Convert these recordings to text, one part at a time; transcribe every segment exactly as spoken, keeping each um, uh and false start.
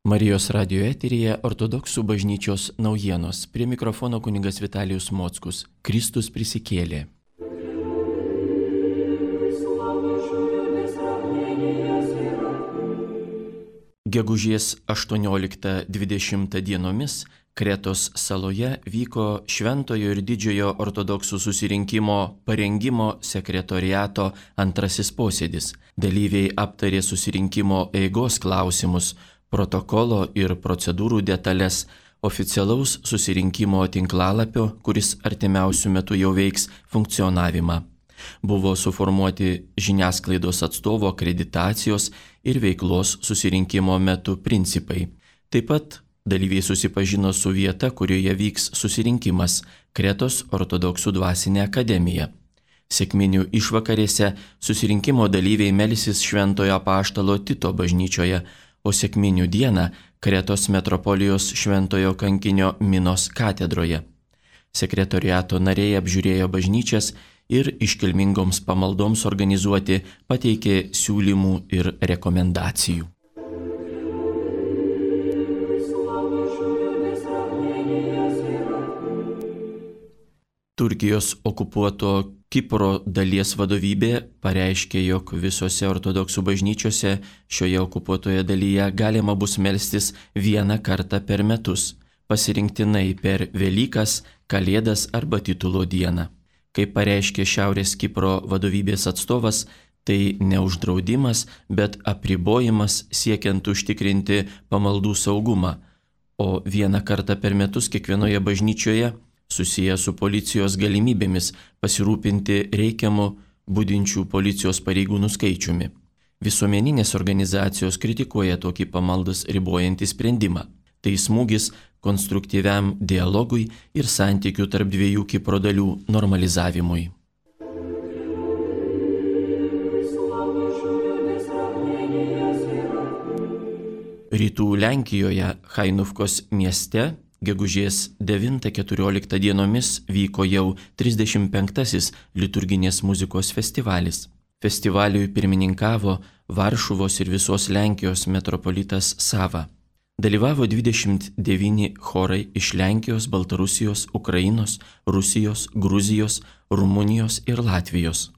Marijos radijo eteryje ortodoksų bažnyčios naujienos. Prie mikrofono kunigas Vitalijus Mockus. Kristus prisikėlė. Gegužės aštuonioliktą dvidešimtą dienomis Kretos saloje vyko Šventojo ir Didžiojo ortodoksų susirinkimo parengimo sekretoriato antrasis posėdis. Dalyviai aptarė susirinkimo eigos klausimus, protokolo ir procedūrų detalės, oficialaus susirinkimo tinklalapio, kuris artimiausių metų jau veiks, funkcionavimą. Buvo suformuoti žiniasklaidos atstovo akreditacijos ir veiklos susirinkimo metu principai. Taip pat dalyviai susipažino su vieta, kurioje vyks susirinkimas – Kretos ortodoksų dvasinė akademija. Sekminių išvakarėse susirinkimo dalyviai melsis Šventojo apaštalo Tito bažnyčioje, o sekminių dieną Kretos metropolijos Šventojo kankinio Minos katedroje. Sekretoriato nariai apžiūrėjo bažnyčias ir iškilmingoms pamaldoms organizuoti pateikė siūlymų ir rekomendacijų. Turkijos okupuoto Kipro dalies vadovybė pareiškė, jog visose ortodoksų bažnyčiose šioje okupuotoje dalyje galima bus melstis vieną kartą per metus, pasirinktinai per Velykas, Kalėdas arba titulo dieną. Kaip pareiškė Šiaurės Kipro vadovybės atstovas, tai ne uždraudimas, bet apribojimas siekiant užtikrinti pamaldų saugumą, o vieną kartą per metus kiekvienoje bažnyčioje susiję su policijos galimybėmis pasirūpinti reikiamu budinčių policijos pareigūnų skaičiumi. Visuomeninės organizacijos kritikuoja tokį pamaldas ribojantį sprendimą. Tai smūgis konstruktyviam dialogui ir santykių tarp dviejų Kipro dalių normalizavimui. Rytų Lenkijoje, Hainufkos mieste, gegužės devintą keturioliktą dienomis vyko jau trisdešimt penktasis liturginės muzikos festivalis. Festivaliui pirmininkavo Varšuvos ir visos Lenkijos metropolitas Sava. Dalyvavo dvidešimt devyni chorai iš Lenkijos, Baltarusijos, Ukrainos, Rusijos, Gruzijos, Rumunijos ir Latvijos.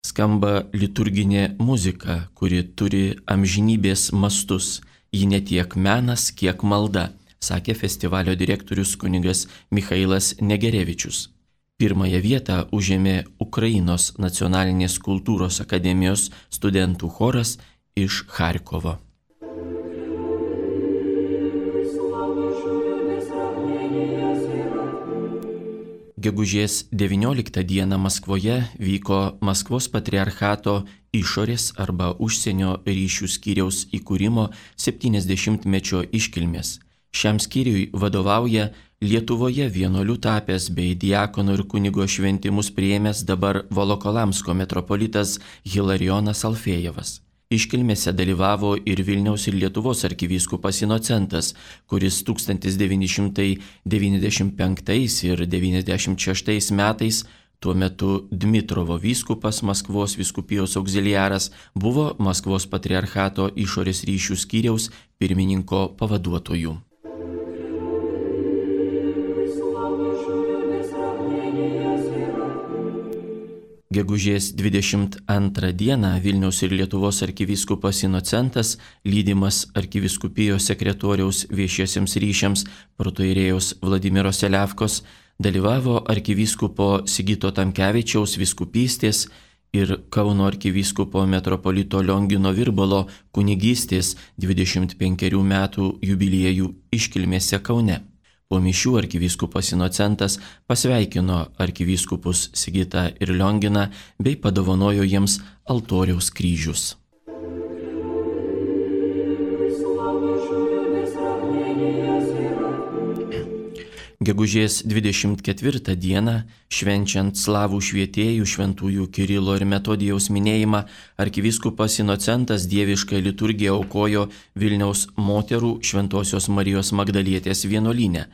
Skamba liturginė muzika, kuri turi amžinybės mastus. Ji ne tiek menas, kiek malda, sakė festivalio direktorius kunigas Michailas Negerevičius. Pirmąją vietą užėmė Ukrainos nacionalinės kultūros akademijos studentų choras iš Charkovo. Gegužės devynioliktą dieną Maskvoje vyko Maskvos patriarchato išorės arba užsienio ryšių skyriaus įkūrimo septyniasdešimtmečio iškilmės. Šiam skyriui vadovauja Lietuvoje vienuoliu tapęs bei diakono ir kunigo šventimus priėmęs dabar Volokolamsko metropolitas Hilarijonas Alfėjevas. Iškilmėse dalyvavo ir Vilniaus ir Lietuvos arkivyskupas Inocentas, kuris tūkstantis devyni šimtai devyniasdešimt penktais ir devyniasdešimt šeštais metais, tuo metu Dmitrovo vyskupas, Maskvos vyskupijos auxiliaras, buvo Maskvos patriarchato išorės ryšių skyriaus pirmininko pavaduotoju. Gegužės dvidešimt antrą dieną Vilniaus ir Lietuvos arkivyskupas Inocentas, lydimas arkivyskupijos sekretoriaus viešiesiems ryšiams protoirėjos Vladimiro Seliavkos, dalyvavo arkivyskupo Sigito Tamkevičiaus vyskupystės ir Kauno arkivyskupo metropolito Liongino Virbalo kunigystės dvidešimt penkerių metų jubiliejų iškilmėse Kaune. Po mišių arkivyskupas Inocentas pasveikino arkivyskupus Sigitą ir Lionginą bei padovanojo jiems altoriaus kryžius. Gegužės dvidešimt ketvirtą dieną, švenčiant slavų švietėjų šventųjų Kirilo ir Metodijaus minėjimą, arkivyskupas Inocentas dievišką liturgiją aukojo Vilniaus moterų Šventosios Marijos Magdalietės vienuolyne.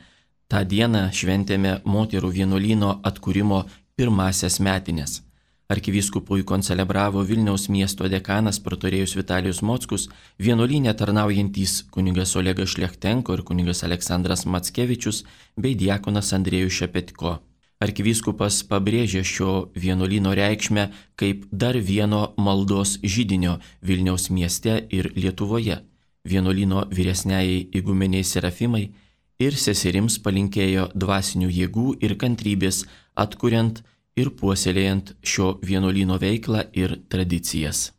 Ta diena šventėme moterų vienuolyno atkūrimo pirmasias metines. Arkivyskupui koncelebravo Vilniaus miesto dekanas protorėjus Vitalijus Mockus, vienuolyne tarnaujantys kunigas Olegas Šlechtenko ir kunigas Aleksandras Mackevičius bei diakonas Andrėjus Šepetko. Arkivyskupas pabrėžė šio vienuolyno reikšmę kaip dar vieno maldos židinio Vilniaus mieste ir Lietuvoje. Vienuolyno vyresniajai igumeniai Serafimai ir seserims palinkėjo dvasinių jėgų ir kantrybės atkuriant ir puoselėjant šio vienuolyno veiklą ir tradicijas.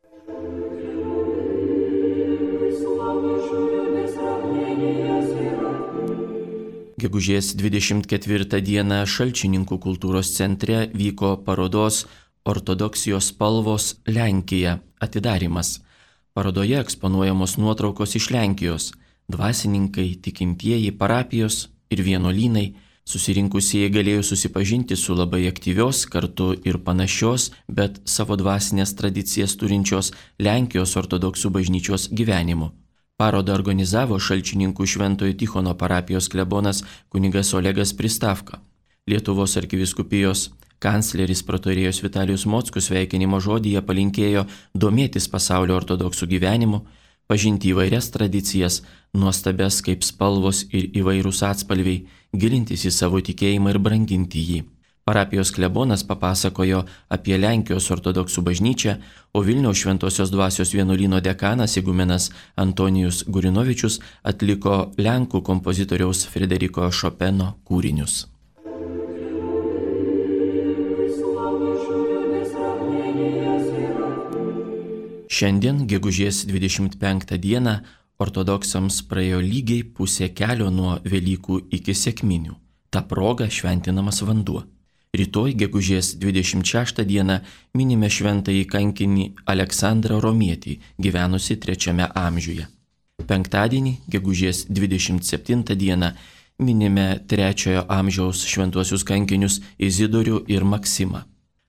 Gegužės dvidešimt ketvirtą dieną Šalčininkų kultūros centre vyko parodos Ortodoksijos spalvos Lenkija atidarymas. Parodoje eksponuojamos nuotraukos iš Lenkijos, dvasininkai, tikintieji, parapijos ir vienuolynai. Susirinkusieji galėjo susipažinti su labai aktyvios, kartu ir panašios, bet savo dvasinės tradicijas turinčios Lenkijos ortodoksų bažnyčios gyvenimu. Parodą organizavo Šalčininkų Šventojo Tichono parapijos klebonas kunigas Olegas Pristavka. Lietuvos arkivyskupijos kancleris protorėjus Vitalijus Mockus sveikinimo žodyje palinkėjo domėtis pasaulio ortodoksų gyvenimu, pažinti įvairias tradicijas, nuostabias kaip spalvos ir įvairūs atspalviai, gilintis į savo tikėjimą ir branginti jį. Parapijos klebonas papasakojo apie Lenkijos ortodoksų bažnyčią, o Vilniaus Šventosios dvasios vienuolyno dekanas igumenas Antonijus Gurinovičius atliko lenkų kompozitoriaus Frederiko Šopeno kūrinius. Šiandien, gegužės dvidešimt penktą dieną, ortodoksams praėjo lygiai pusė kelio nuo Velykų iki Sekminių. Ta proga šventinamas vanduo. Rytoj, gegužės dvidešimt šeštą dieną, minime šventąjį kankinį Aleksandrą Romietį, gyvenusi trečiame amžiuje. Penktadienį, gegužės dvidešimt septintą dieną, minime trečiojo amžiaus šventuosius kankinius Izidorių ir Maksimą.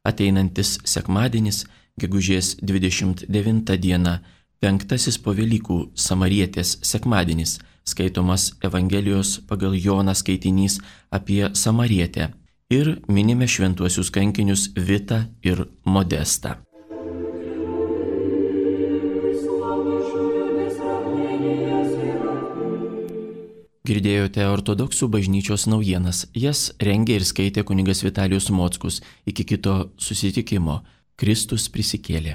Ateinantis sekmadienis, gegužės dvidešimt devintą dieną, penktasis po Velykų Samarietės sekmadienis, skaitomas Evangelijos pagal Joną skaitinys apie Samarietę ir minime šventuosius kankinius Vitą ir Modestą. Girdėjote ortodoksų bažnyčios naujienas, jas rengė ir skaitė kunigas Vitalijus Mockus. Iki kito susitikimo. Kristus prisikėlė.